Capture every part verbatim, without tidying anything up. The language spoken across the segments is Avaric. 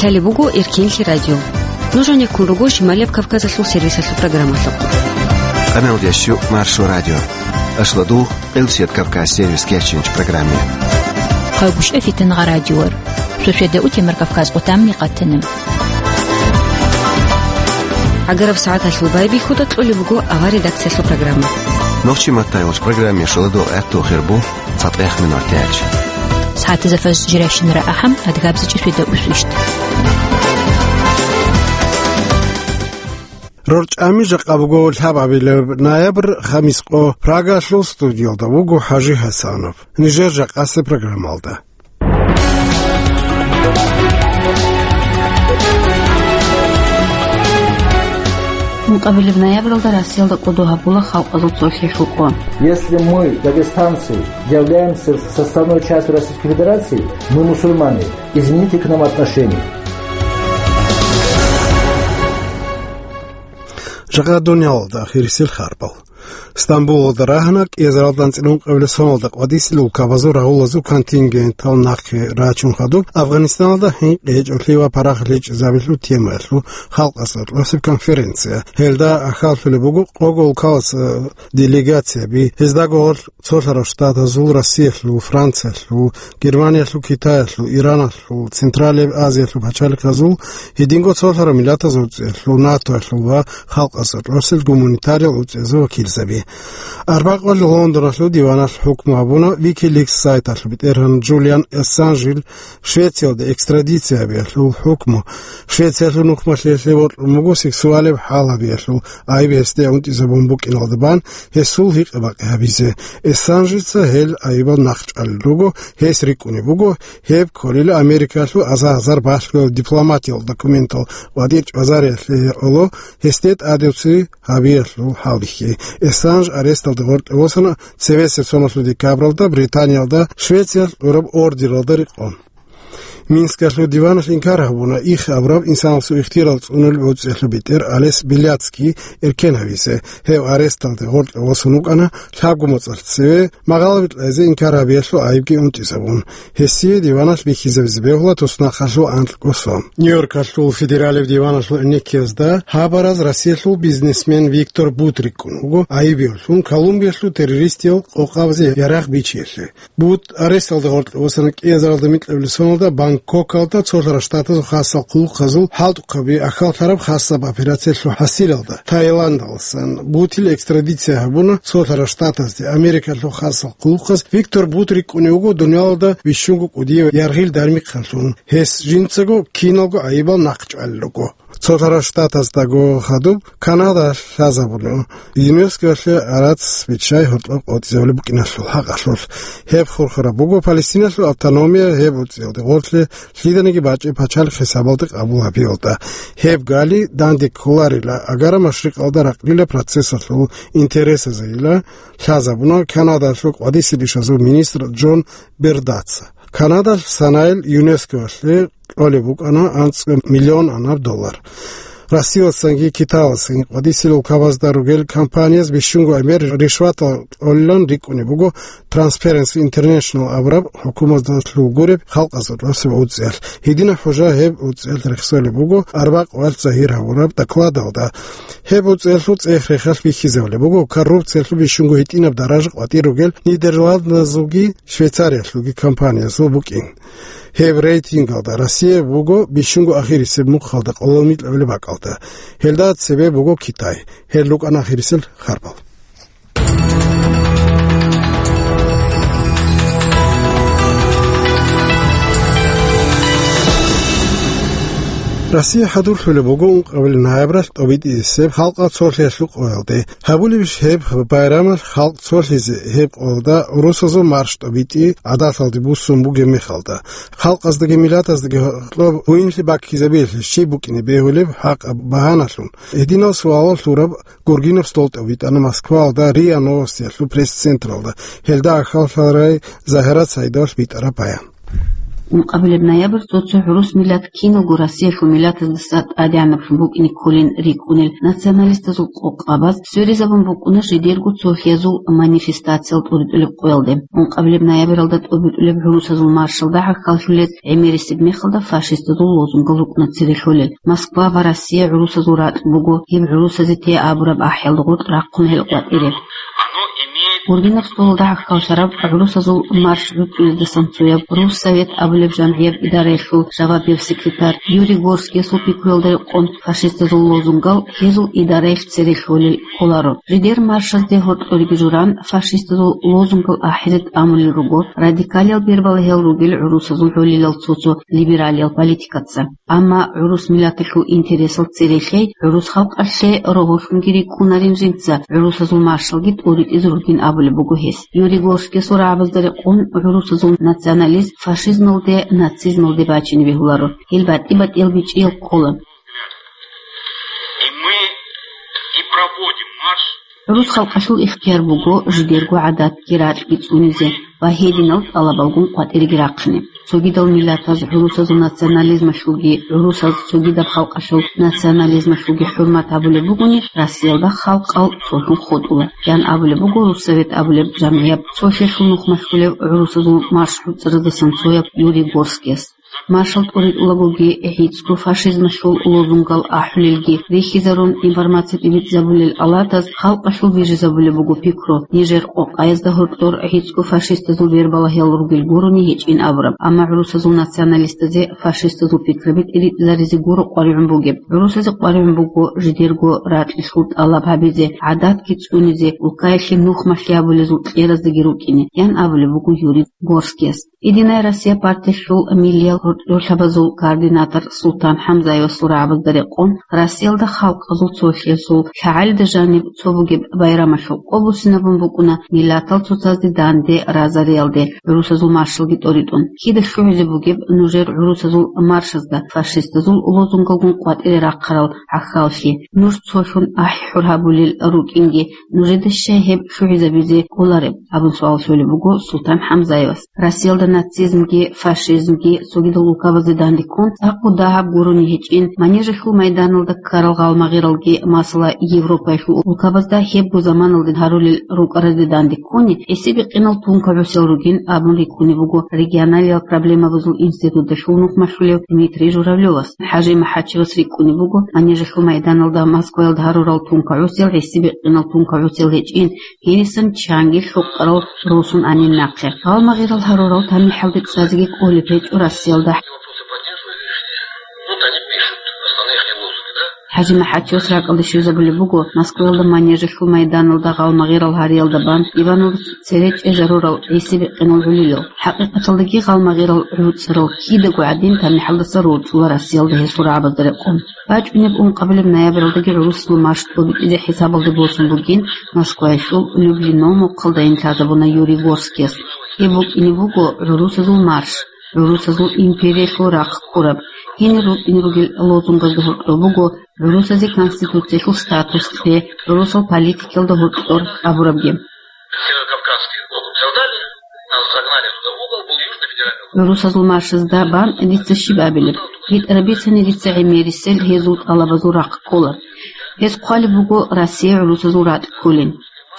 Лъалеб буго Эркенлъи радио. Нуж гьанеккун руго Шималияб Кавказалъул сервисалъул программалъухъ. Къамел ящу Маршо радио. Ашладугъ, Къилсият Кавказ сервис кечинч программе. Хъагушев Фитангъа радиор. Шошеда утемар Кавказ къутамни къатана. Агараб сагӀаталъул байбихьуда кьолеб буго авар редакциялъул программа. Нохчи маттайгъулъ программе шоладо гӀатту хирбу. ЦатӀех минуталъ. СагӀатазда фажр жирайщинара ахӀам, адгабзичӀеб шведа усвищт. РорчӀами жакъа буго лъабабилеб ноябрь, хамис къо. Прагалъул студиялда вуго ХӀажи ХӀасанов. Нижер жакъасеб программалда. Ункъабилеб ноябралда Россиялда кӀодо гьабула халкъазул цолъи хӀукъу. Если мы, дагестанцы, являемся составной частью Российской Федерации, мы мусульмане, измените к нам отношение. Жакъа дуниялалда ахирисел харбал. Стамбулалда рагьана кӀиазаралда анцӀила ункъабилеб соналда къватӀисел улкабазул рагъулазул контингентал нахъе рачун хадуб Афганистаналда хӀинкъи гьечӀолъи ва парахалъи гьечӀезабилъул темаялъул халкъалъ гьоркьосеб конференция. Гьелда ахӀаллъулеб буго къого улкаласа делегацияби, гьездаго гьоркь Цолъарав Штатазул, Россиялъул, Франциялъул, Германиялъул, Китаялъул, Ираналъул, Централияб Азиялъул пачалихъазул, гьединго цолъарав миллатазул уцӀиялъул, натоялъул ва халкъалъ гьоркьосел гуманитариял уцӀиязул вакилзаби. Арбакъоялъ Лондоналъул диваналъ хӀукму гьабуна Wikileaks сайталъул бетӀергьан Джулиан Ассанжил Швециялда экстрадиция гьабиялъул хӀукму. Швециялъул нухмалъиялъе бокьун буго сексуалияб хӀал гьабиялъул айиб гьесде унтӀизабун букӀиналда бан гьесул гьикъа-бакъи гьабизе. Ассанжица гьел айибал нахъчӀвалел руго, гьес рикӀкӀунеб буго, гьеб кколила Америкалъул аза-азар балъгоял дипломатиял документал къватӀир чӀвазариялъе гьекъоло гьесде тӀадевци гьабиялъул хӀалбихьи. Ассанж аресталде гъоркье восана цебесеб соналъул декабралда Британиялда Швециялъ гӀураб ордералда рекъон. Минскалъул диваналъ инкар гьабуна их абураб инсанасул ихтияр цӀунулеб уцӀиялъул бетӀер Олесь Беляцкий эркен гьавизе. Гьев аресталде гъоркье восун вукӀана лъабго моцӀалъ цеве, магъалаби кьезе инкар гьабиялъул айибги унтӀизабун. Гьесие диваналъ бихьизабизе бегьула туснахъалъул анкьго сон. Нью-Йоркалъул федералияб диваналъул гӀенеккиязда гьабараз Россиялъул бизнесмен Виктор Бут рикӀкӀун вуго айиб гьабун Колумбиялъул террористиял къокъабазе ярагъ бичиялъе. Бут аресталда гъоркье восана кӀиазаралда микьабилеб соналда Бангкокалда цолъарав штатазул хасал хъулухъазул хӀалтӀухъаби ахьаллъараб хасаб операциялъул хӀасилалда. Таиландалдасан Бутил экстрадиция гьабуна цолъарав штатазде. Америкалъул хасал хъулухъаз Виктор Бут рикӀкӀунев вуго дуниялалда бищунго кӀудияв яргъил дармихъанлъун. Гьес жинцаго киналго айибал нахъчӀвалел руго. Цолъарав штатаздаго хадуб Канада лъазабуна ЮНЕСКОялъе гӀарац биччай гьоркьоб къотӀизабулеб букӀиналъул хӀакъалъулъ. Гьеб хурхараб буго Палестиналъул автономия гьеб уцӀиялде гъорлъе лъиданиги бачӀеб пачалихъ хӀисабалде къабул гьабиялда. Гьеб гали данде кколарила, агара машрикъалда ракълила процессалъул интересазейила лъазабуна Канадалъул къватӀисел ишазул министр Джон Бердаца. Канадалъ санайил ЮНЕСКОялъе кьолеб букӀана анцӀго миллион анаб доллар. Россиялдасанги Китаялдасанги къватӀисел улкабазда ругел компанияз бищунго гӀемер ришватал кьолилан рикӀкӀунеб буго Transparency International абураб хӀукуматалъул гуреб халкъазул росаб уцӀиялъ. Гьединаб хӀужа гьеб уцӀиялъ рехсолеб буго арбакъ валъ загьир гьабураб докладалда. Гьеб уцӀиялъул цӀех-рехалъ бихьизабулеб буго коррупциялъул бищунго гьитӀинаб даража къватӀир ругел Нидерландазулги Швейцариялъулги компаниязул букӀин. Гьеб рейтингалда Россия буго бищунго ахирисеб мухъалда къоло микьабилеб бакӀалда. Гьелда цебе буго Китай. Гьел рукӀана ахирисел харбал. Россия хӀадурлъулеб буго ункъабилеб ноябралъ тӀобитӀисеб халкъалъ цолъиялъул къоялде. Гьабулебищ гьеб байрамалъ халкъ цолъизе, гьеб къоялда гӀурусазул марш тӀобитӀи гӀадаталде буссун бугеб мехалда? Халкъаздаги миллатаздаги гьоркьоб гьуинлъи баккизабиялъе щиб букӀине бегьулеб хӀакъаб багьаналъун? Гьединал суалал лъураб гургинаб стол тӀобитӀана Москваялда РИА Новостиялъул пресс-централда. Гьелда ахьаллъарай Загьират Саидовалъ битӀараб баян. Ункъабилеб ноябрь цо-цо гӀурус миллат киналго Россиялъул миллатаздаса тӀадегӀанаблъун букӀине кколин рикӀкӀунел националистазул къокъабаз сверизабун букӀуна жидерго цолъиязул манифестациял тӀуритӀулеб къоялде. Ункъабилеб ноябралда тӀобитӀулеб гӀурусазул маршалда гӀахьаллъулез гӀемерисеб мехалда фашистазул лозунгал рукӀуна цере лъолел. Москва ва Россия гӀурусазул ракь буго, гьеб гӀурусазе те абураб ахӀиялда гъоркь рахъун гьел къватӀире. Гурбинаб столалда гӀахьаллъараб гӀурусазул марш гӀуцӀулездасан цояб Руссовет абулеб жамгӀияб идараялъул жавабияв секретарь Юрий Горскиясул пикруялда рекъон фашистазул лозунгал гьезул идараялъ цере лъолел кколаро. Жидер маршазде гьоркьориги журан фашистазул лозунгал ахӀизе тӀамулел руго радикалиял бербалагьал ругел гӀурусазул гӀолилал цо-цо либералиял политикаца. Амма гӀурус миллаталъул интересал церелъей гӀурус халкъалъе рогьолъунги рикӀкӀунарин жинца гӀурусазул маршалги тӀуритӀизе ругин абулеб буго гьес. Юрий Горскиясул рагӀабазда рекъон гӀурусазул национализм фашизмалде, нацизмалде бачине бегьуларо. Гьел батӀи-батӀиял бичӀчӀиял ккола. И мы и проводим марш. ГӀурус халкъалъул ихтияр буго жидерго гӀадатги ракьги цӀунизе ва гьединал тӀалабалгун къватӀиреги рахъине. Цогидал миллатаз гӀурусазул национализмалъулги, гӀурусаз цогидаб халкъалъул национализмалъулги хӀурмат гьабулеб бугони, Россиялда халкъал цолъун хутӀула, ян абулеб буго Руссовет абулеб жамгӀияб цолъиялъул нухмалъулев гӀурусазул марш гӀуцӀараздасан цояб Юрий Горскияс. Маршал тӀуритӀулагоги, гӀицӀго фашизмалъул лозунгал ахӀулелги рихьизарун, информация тӀибитӀизабулел алатаз халкъалъул бижизабулеб буго пикру, нижер къокъаязда гьоркьор гӀицӀго фашистазул вербалагьал ругел гурони гьечӀин абураб, амма гӀурусазул националистазе фашистазул пикраби тӀиритӀизаризе гуро къваригӀун бугеб. ГӀурусазе къваригӀун буго жидерго ракьалъул тӀалаб гьабизе, гӀадатги цӀунизе, улкаялъе нухмалъи гьабулезул кьераздаги рукӀине, ян абулеб буго Юрий Горскияс. Единая Россия партиялъул миллиял гьоркьорлъабазул координатор Султан ХӀамзаевасул рагӀабазда рекъон, Россиялда халкъазул цолъиялъул лъагӀалида жаниб цо бугеб байрамалъул къо буссинабун букӀуна миллатал цоцазде данде разариялде гӀурусазул маршалги тӀоритӀун. Кида лъугӀизе бугеб нужер гӀурусазул маршазда фашистазул лозунгалгун къватӀире рахъарал гӀахьаллъи? Нуж цолъун ахӀи-хӀур гьабулел рукӀинги, нужеда щай гьеб лъугӀизабизе кӀолареб? Абун суал щолеб буго Султан ХӀамзаевас. Россиялда нацизмги фашизмги цогидал улкабазде данде ккун, цӀакъго дагьаб гурони гьечӀин, Манежалъул майданалда ккарал гъалмагъиралги, масала, Европаялъул улкабазда гьебго заманалде гьарулел рукӀаразде данде ккуни, гӀисибикъинал тункагӀусел ругин абун рикӀкӀунеб буго регионалиял проблемабазул институталъул нухмалъулев Дмитрий Журавлевас. ХӀажи МахӀачевас рикӀкӀунеб буго Манежалъул майданалда Москваялда гьарурал тункагӀусел гӀисибикъинал тункагӀусел гьечӀин, гьенисан чанги лъукъарал росун анин нахъе. Гъалмагъирал гьарурал тамихӀалде цӀазеги кӀолеб гьечӀо Россиялда. ХӀажи МахӀачевас ракӀалде щвезабулеб буго, Москваялда Манежалъул майданалда гъалмагъирал гьариялда бан Ивановица цере чӀезарурал гӀисибикъинал гӀолилал. ХӀакъикъаталдаги гъалмагъирал гӀуцӀарал кидаго гӀадин тамихӀалдаса рорчӀула Россиялда гьесул рагӀабазда рекъон. БачӀунеб ункъабилеб ноябралдаги гӀурусазул марш тӀобитӀизе хӀисабалде босун бугин, Москваялъул Люблино мухъалдайин лъазабуна Юрий Горскияс. Гьеб букӀине буго гӀурусазул марш, гӀурусазул империялъул рахъ ккураб, гьенир рукӀине ругел лозунгазда гьоркьор буго гӀурусазе конституциялъул статус кье, гӀурусал политикалда гьоркьор абурабги. Северокавказский округ создали, нас загнали туда в угол, был Южный федеральный округ. ГӀурусазул маршазда бан дица щиб абилеб? БитӀараб бицани дица гӀемерисел гьезул тӀалабазул рахъ ккола. Гьез хъвалеб буго Россия гӀурусазул ракь кколин.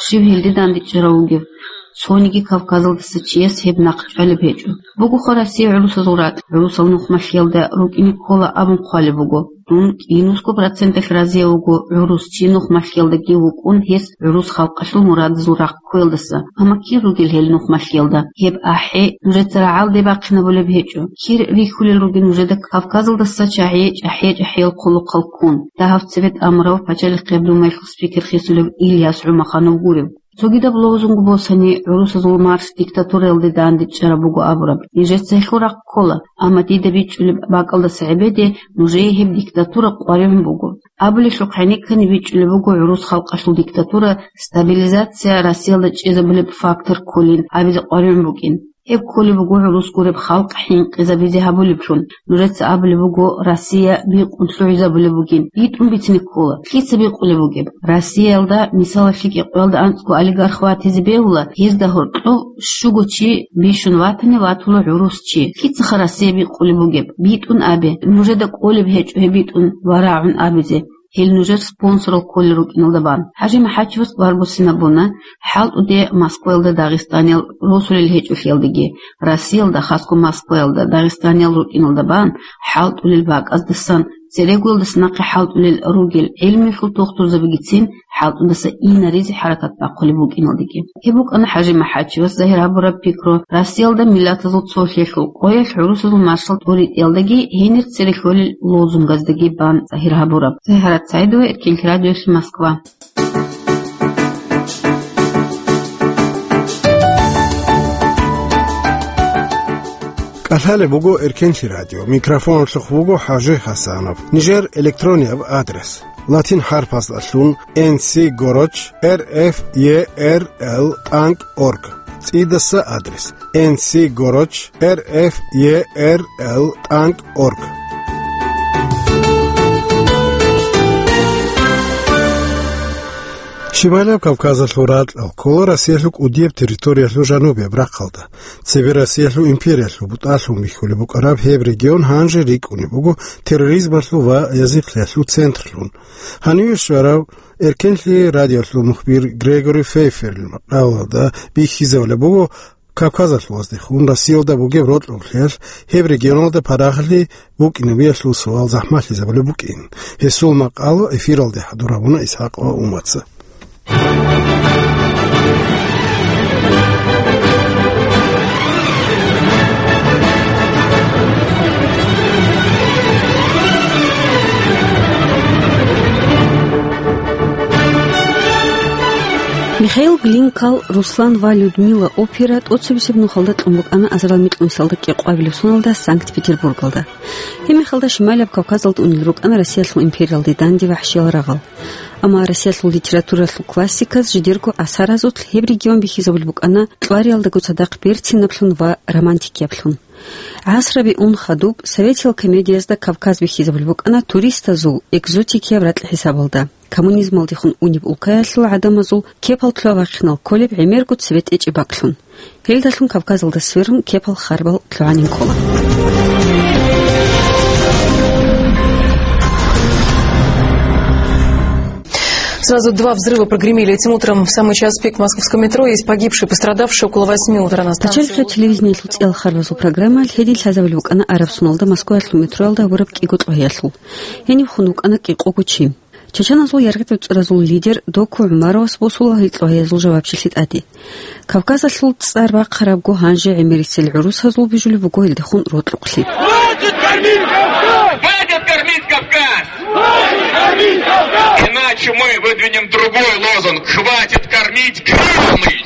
Щив гьелде дандечӀарав вугев? Цониги Кавказалдаса чияс гьеб нахъ чӀвалеб гьечӀо. Бугоха Россия гӀурусазул ракь, гӀурусал нухмалъиялда рукӀине ккола абун хъвалеб буго. Дун кӀинусго проценталъ разияв вуго гӀурус чи нухмалъиялдаги вукӀун гьес гӀурус халкъалъул мурадазул рахъ ккоялдаса. Амма кир ругел гьел нухмалъиялда? Гьеб ахӀи нужеца рагӀалде бахъинабулеб гьечӀо. Кир рихьулел ругел нужеда Кавказалдаса чагӀи чӀахӀи-чӀахӀиял хъулухъал ккун, дагьаб цебетӀ амурав пачалихъияб думаялъул спикер хисулев Ильяс ГӀумаханов гурев. Цогидаб лозунг босани, гӀурусазул марш диктатураялде дандечӀараб буго абураб. Нижеца гьелъул рахъ ккола, амма дида бичӀчӀулеб бакӀалдаса гӀебеде нужее гьеб диктатура къваригӀун буго. Абулелъухъ гӀенеккани бичӀчӀулеб буго гӀурус халкъалъул диктатура, стабилизация Россиялда чӀезабулеб фактор кколин абизе къваригӀун букӀин. Гьеб кколеб буго гӀурус гуреб халкъ хӀинкъизабизе гьабулеблъун. Нужеца абулеб буго, Россия бикъун лъугӀизабулеб бугин. БитӀун бицине ккола. Лъица бикъулеб бугеб? Россиялда, мисалалъе, КӀикъоялда анцӀго олигарх ватизе бегьула, гьезда гьоркьов щуго чи бищун ватани, ватула гӀурус чи. Лъицаха Россия бикъулеб бугеб? БитӀун абе. Нужеда кӀолеб гьечӀо гьеб битӀун ва рагӀун абизе. Гьел нужер спонсорал кколел рукӀиналда бан. ХӀажи МахӀачевас баргусин абуна, хӀалтӀуде Москваялда дагъистаниял росулел гьечӀолъиялдаги, Россиялда, хасго Москваялда, дагъистаниял рукӀиналда бан хӀалтӀулел бакӀаздасан, церегоялдаса нахъе хӀалтӀулел ругел гӀелмуялъул тухтурзабигицин хӀалтӀудаса инаризе хӀаракат бахъулеб букӀиналдаги. Гьеб букӀана ХӀажи МахӀачевас загьир гьабураб пикру, Россиялда миллатазул цолъиялъул къоялъ гӀурусазул маршал тӀуритӀиялдаги гьенир цере лъолел лозунгаздаги бан загьир гьабураб. Загьарат Саидова, Эркенлъи радиоялъ, Москва. КӀалъалеб буго Эркенлъи радио. Микрофоналъухъ вуго ХӀажи Хасанов. Нижер электронияб адрес: латин хӀарпаздалъун Н С горч Р Ф Е Р Л тӀанкӀ орг. ЦӀидаса адрес: Н С горч Р Ф Е Р Л тӀанкӀ орг. Шималияб Кавказалъул ракьал ккола Россиялъул кӀудияб территориялъул жанубияб рахъалда. Цебе Россиялъул империялъул бутӀалъун бихьулеб букӀараб гьеб регион гьанже рикӀкӀунеб буго терроризмалъул ва язихълъиялъул центрлъун. Гьаниве щварав Эркенлъи радиоялъул мухбир Грегори Фейферил макъалалда бихьизабулеб буго, Кавказалъуваздехун Россиялда бугеб рокьулъиялъ гьеб регионалда парагъалъи букӀинабиялъул суал захӀмалъизабулеб букӀин. Гьесул макъала эфиралде хӀадур гьабуна Исхакъ ва Умаца. Михаил Глинкал «Руслан ва Людмила» опера тӀоцебесеб нухалда кьун букӀана азарал микьнусиялда кӀикъоабилеб соналда Санкт-Петербургалда. Гьеб мехалда Шималияб Кавказалда унел рукӀана Россиялъул империялде данде вахӀшиял рагъал. Амма Россиялъул литературалъул классиказ жидерго асаразулъ гьеб регион бихьизабулеб букӀана кьвариялдаго цадахъ берцинаблъун ва романтикияблъун. ГӀасраби ун хадуб, советиял комедиязда Кавказ бихьизабулеб букӀана туристазул экзотикияб ракь хӀисабалда. Коммунизмалдехун унеб улкаялъул гӀадамазул кепал лъугьа-вахъинал кколеб гӀемерго цебетӀечӀеб бакӀлъун. Гьелдалъун Кавказалда сверун кепал харбал лъугӀанин ккола. Сразу два взрыва прогремели этим утром. В самый час пик в московском метро. Есть погибшие, пострадавшие около восьми утра на станции. Пачалихъе телевидениялъул цӀиял харбазул программаялъ гьедин лъазабулеб букӀана араб соналда Москваялъул метроялда гьабураб кӀиго лъугьиялъул. Гьениб хун вукӀана кӀикъого чи. Чачаназул яргъи цӀуцӀразул лидер Доку ГӀумаровас босула гьел лъугьиязул жавабчилъи тӀаде. Кавказалъул цӀар бахъарабго гьанже гӀемерисел гӀурусазул бижулеб буго гьелдехун рокьукълъи. Хватит кормить Кавказ! Хватит кормить Кавказ! Хватит кормить Кавказ! Иначе мы выдвинем другой лозунг: «Хватит кормить Кремль!»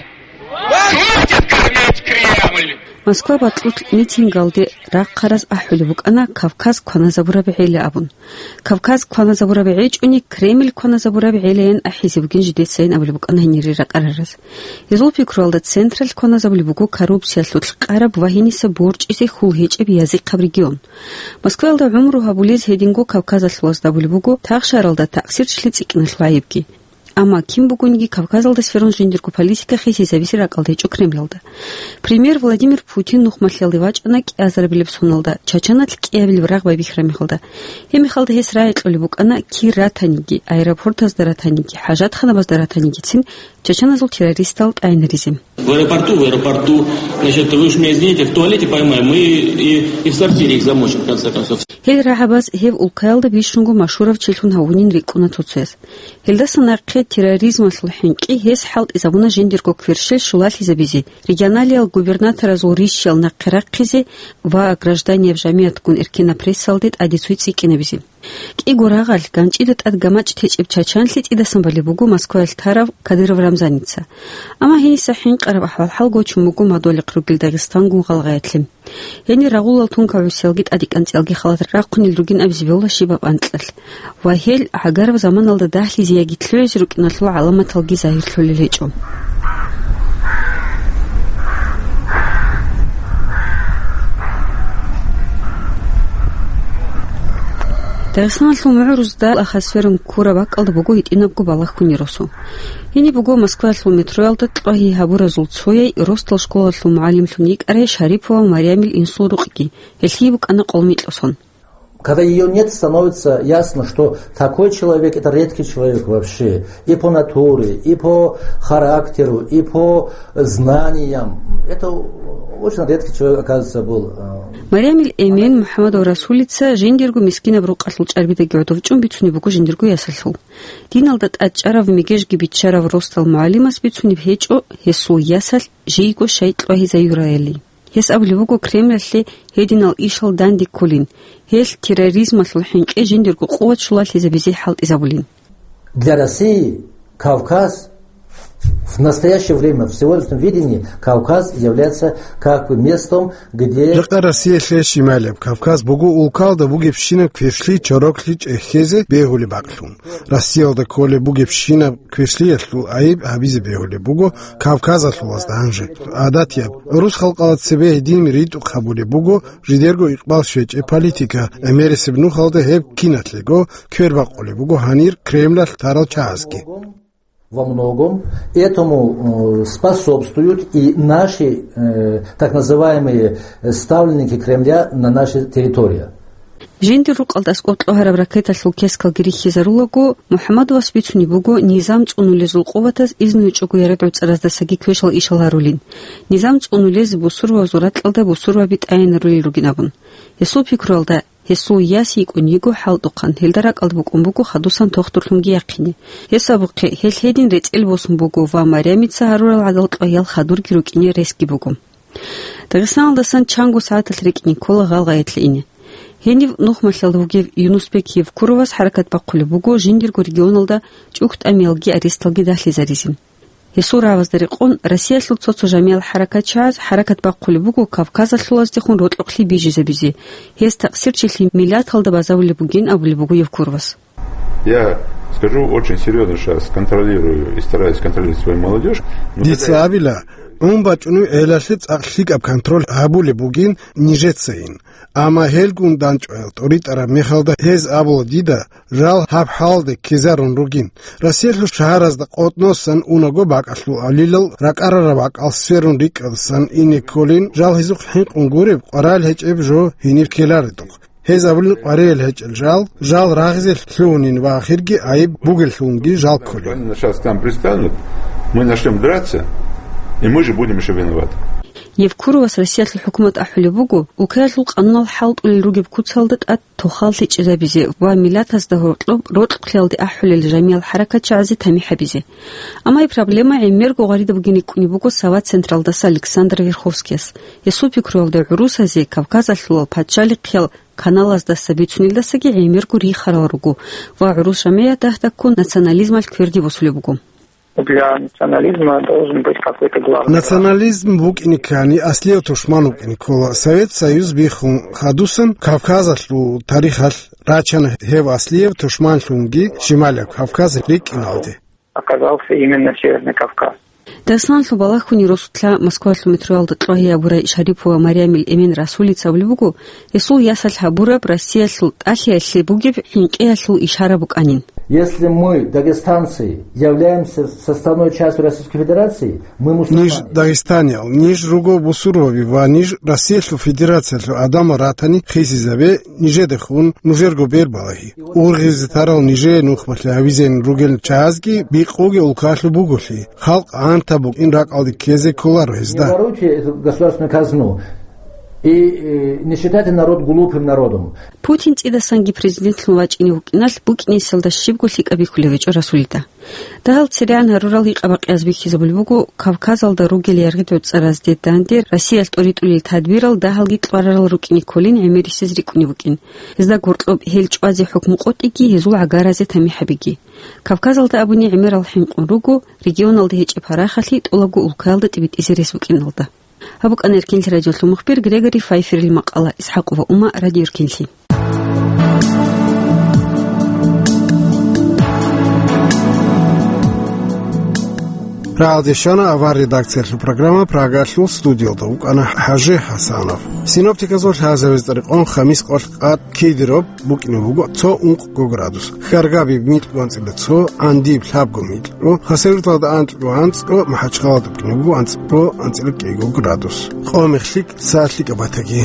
Хватит кормить Кремль! Москва бакьулъ митингалде рахъараз ахӀулеб букӀана Кавказ кваназабураб гӀела абун. Кавказ кваназабураб гӀечӀони, Кремль кваназабураб гӀелаян ахӀизе бугин жидецайин абулеб букӀана гьенире ракӀарараз. Гьезул пикруялда централъ кваназабулеб буго коррупциялъулъ къараб ва гьениса борчӀизе хьул гьечӀеб язихъаб регион. Москваялда гӀумру гьабулез гьединго Кавказалъувазда абулеб буго тахшаралда такъсирчилъи цӀикӀкӀиналъул гӀайибги. Амма кин бугониги Кавказалда сверун жиндирго политика хисизабизе ракӀалда гьечӀо Кремлалда. Премьер Владимир Путин нухмалъиялде вачӀана кӀиазарабилеб соналда, Чачаналъ кӀиабилеб рагъ байбихьараб мехалда. Гьеб мехалда гьес рагӀи кьолеб букӀана кир ратаниги, аэропортазда ратаниги, хӀажатханабазда ратанигицин чачаназул террористал тӀайинаризе. В аэропорту, в аэропорту, значит, вы уж меня извините, в туалете поймаем, мы и, и в сортире их замочим, в конце концов. Гьел рагӀабаз гьев улкаялда бищунго машгьурав чилъун гьавунин рикӀкӀуна цоцаялъ. Гьелдаса нахъе терроризмалъул хӀинкъи гьес хӀалтӀизабуна жиндирго кверщел щулалъизабизе, регионалиял губернаторазул рищаял нахъе рахъизе ва гражданияб жамигӀатгун эркенаб прессалде тӀаде цой цӀикӀкӀинабизе. КӀиго рагъалъ ганчӀида тӀад гамачӀ течӀеб чачанлъи цӀидасан балеб буго Москваялъ тарав Кадыров Рамзаница. Амма гьениса хӀинкъараб ахӀвал-хӀал гочун буго мадугьалихъ ругел Дагъистангун гъалгъаялъе. Гьенир рагъулал тункав гӀусиялги тӀадикӀанцӀиялги халат рахъунел ругин абизе бегьула щибаб анкьалъ. Ва гьел гӀагараб заманалда дагьлъизе яги лъугӀизе рукӀиналъул гӀаламаталги загьирлъулел гьечӀо. Дагъистаналъул мугӀрузда ахасверун ккураб бакӀалда буго гьитӀинабго балагьуни росу. Гьениб буго Москваялъул метроялда кьвагьи гьабуразул цояй ростал школалъул мугӀалимлъун йикӀарай Шарипова Марямил инсул рукъги, гьелъие букӀана къолмикьусон. Когда её нет, становится ясно, что такой человек — это редкий человек вообще. И по натуре, и по характеру, и по знаниям. Это очень редкий человек, оказывается, был. Марямил эмен МухӀаммадов Расулица жиндирго мискинаб рукъалъул чӀарбидаги гӀодов чӀун бицунеб буго жиндирго ясалъул. Диналда тӀадчӀарав мегежги биччарав ростал мугӀалимас бицунеб гьечӀо гьесул ясалъ жийго щай кьвагьизаюраяли. Гьес абулеб буго Кремлалъе гьединал ишал данде кколин, гьелъ терроризмалъул хӀинкъи жиндирго къуват щулалъизабизе хӀалтӀизабулин. Для России Кавказ в настоящее время, в сегодняшнем видении, Кавказ является как бы местом, где... Жакъа Россиялъе щималияб Кавказ буго улкалда бугебщинаб квешлъи чороклъи чӀехьезе бегьулеб бакълъун. Россиялда кколеб бугебщинаб квешлъиялъул гӀайиб гьабизе бегьулеб буго Кавказалъулазда гьанже. ГӀадатияб, гӀурус халкъала цебе гьедин ритӀухъ гьабулеб буго жидерго икъбал щвечӀеб политика, гӀемерисеб нухалда гьеб киналъего квербакъулеб буго гьанир Кремлалъ тарал чагӀазги. Во многом этому, э, способствуют и наши, э, так называемые, э, ставленники Кремля на нашей территории. Жиндир рукъалда аскӀоб кьогьараб ракеталъул кескалги рихьизарулаго, МухӀаммадовас бицунеб буго низам цӀунулезул къуватаз изну гьечӀого ярагӀуцӀараздасаги квешал ишал гьарулин. Низам цӀунулез бусурбабазул ракьалда бусурбаби тӀайинарулел ругин абун. Гьесул пикруялда, гьесул яс йикӀун йиго хӀалтӀухъан, гьелда ракӀалда букӀун буго хадусан тохтурлъунги яхъине. Гьес абухъе, гьелъ гьедин рецӀел босун буго ва Марямица гьарурал гӀадал кьваял хадурги рукӀине ресги буго. Дагъистаналдасан чанго сагӀаталъ рикӀкӀине ккола гъалгъаялъе ине. Гьенив нухмалъалда вугев Юнусбек Евкуровас хӀаракат бахъулеб буго жиндирго регионалда чӀухӀтӀамиялги аресталги дагьлъизаризин. Гьесул рагӀабазда рекъон, Россиялъул цо-цо жамиял хӀаракатчагӀаз хӀаракат бахъулеб буго Кавказалъулаздехун рокьухълъи бижизабизе, гьез такъсирчилъи миллаталда базарулеб бугин абулеб буго Евкуровас. Я скажу, очень серьёзно сейчас контролирую и стараюсь контролировать свою молодёжь. Но Дица когда абила, гӀун бачӀунев гӀелалъе цӀакъ лъикӀаб контроль гьабулеб бугин нижецайин. Амма гьелгун данчӀваял тӀоритӀараб мехалда гьез абула дида, жал гьаб хӀалалде ккезарун ругин. Россиялъул шагьаразда къотӀносан унаго бакӀалъул гӀалилал ракӀарараб бакӀал сверун рикӀкӀадасан ине кколин, жал гьезухъ хӀинкъун гуреб, къварал гьечӀеб жо гьенир ккеларедухъ. Гьез абулин къваригӀел гьечӀел жал, жал рагъизе лъугьунин ва ахирги гӀайиб бугеллъунги жал кколин. Они сейчас к нам пристанут, мы начнём драться, и мы же будем ещё виноваты. Евкуровас Россиялъул хӀукумат ахӀулеб буго, улкаялъул къануналъ хӀалтӀулел ругеб куцалда тӀад тохал лъечӀезабизе ва миллатазда гьоркьоб рокьухълъиялде ахӀулел жамиял хӀаракатчагӀазе тамихӀ гьабизе. Амма гьеб проблема гӀемерго гъваридаб бугин рикӀкӀунеб буго Сават централдаса Александр Верховскияс. Гьесул пикруялда, гӀурусазе Кавказалъулал пачалихъиял каналаздаса бицунелдасаги гӀемерго рихарал руго ва гӀурус жамигӀат дагь-дагьккун национализмалъ кверде босулеб буго. Для национализма должен быть какой-то главный враг. Национализм букӀине ккани, аслияв тушман вукӀине ккола. Совет Союз биххун хадусан Кавказалъул тарихалъ рачана гьев аслияв тушманлъунги Шималияб Кавказ рикӀкӀиналде. Оказался именно Северный Кавказ. Дагъистаналъул балагьуни росулъа Москвалъул метроялда кьвагьи гьабурай Шарипова Марямил эмен Расулица абулеб буго, гьесул ясалъ гьабураб Россиялъул тӀалъиялъе бугеб хӀинкъиялъул ишара букӀанин. Если мы, дагестанцы, являемся составной частью Российской Федерации, мы мусульмане. Ниж дагестаниял, ниж руго бусурбаби ва ниж Россиялъул Федерациялъул гӀадамал ратани хисизабе, нижедехун нужерго бер балагьи. Ургъизе тарал нижее нухмалъи гьавизейин ругел чагӀазги бикъуге улкалъуб буголъи, халкъ гӀантаб букӀин ракӀалде ккезе кколаро гьезда. Не воруйте эту государственную казну и, э, не считайте народ глупым народом. Путин цӀидасанги президентлъун вачӀине вукӀиналъ букӀинесалда щибго лъикӀаб бихьулев гьечӀо Расулида. Дагьал церегӀан гьарурал гьикъа-бакъиаз бихьизабулеб буго, Кавказалда ругел яргъи-гӀуцӀаразде данде Россиялъ тӀоритӀулел тадбирал дагьалги кьварарал рукӀине кколин гӀемерисез рикӀкӀунев вукӀин. Гьезда гьоркьоб гьел чӀвазе хӀукму къотӀиги, гьезул гӀагаразе тамихӀ гьабиги. Кавказалда абуни гӀемерал хӀинкъун руго, регионалда гьечӀеб гьарахалъи тӀолабго улкаялда тӀибитӀизе рес букӀиналда. Гьаб букӀана Эркинлъи радиолъул мухбир Грегори Файферил макъала. Исхакова Ума, Радио Эркинлъи. Рагьалде щвана авар редакциялъул программа, Прагалъул студиялда вукӀана ХӀажи ХӀасанов. Синоптиказул лъазабиз тӀарикъун, хамис къоялъ къад кедераб букӀине буго цо ункъго градус. Хьаргабида микьго анцӀила цо, ГӀандида лъабго микьго, Хасавюрталда анкьго анцӀго, МахӀачхъалада букӀине буго анцӀго анцӀила кӀиго градус. Къо-мехлъи са лъикӀаб батаги.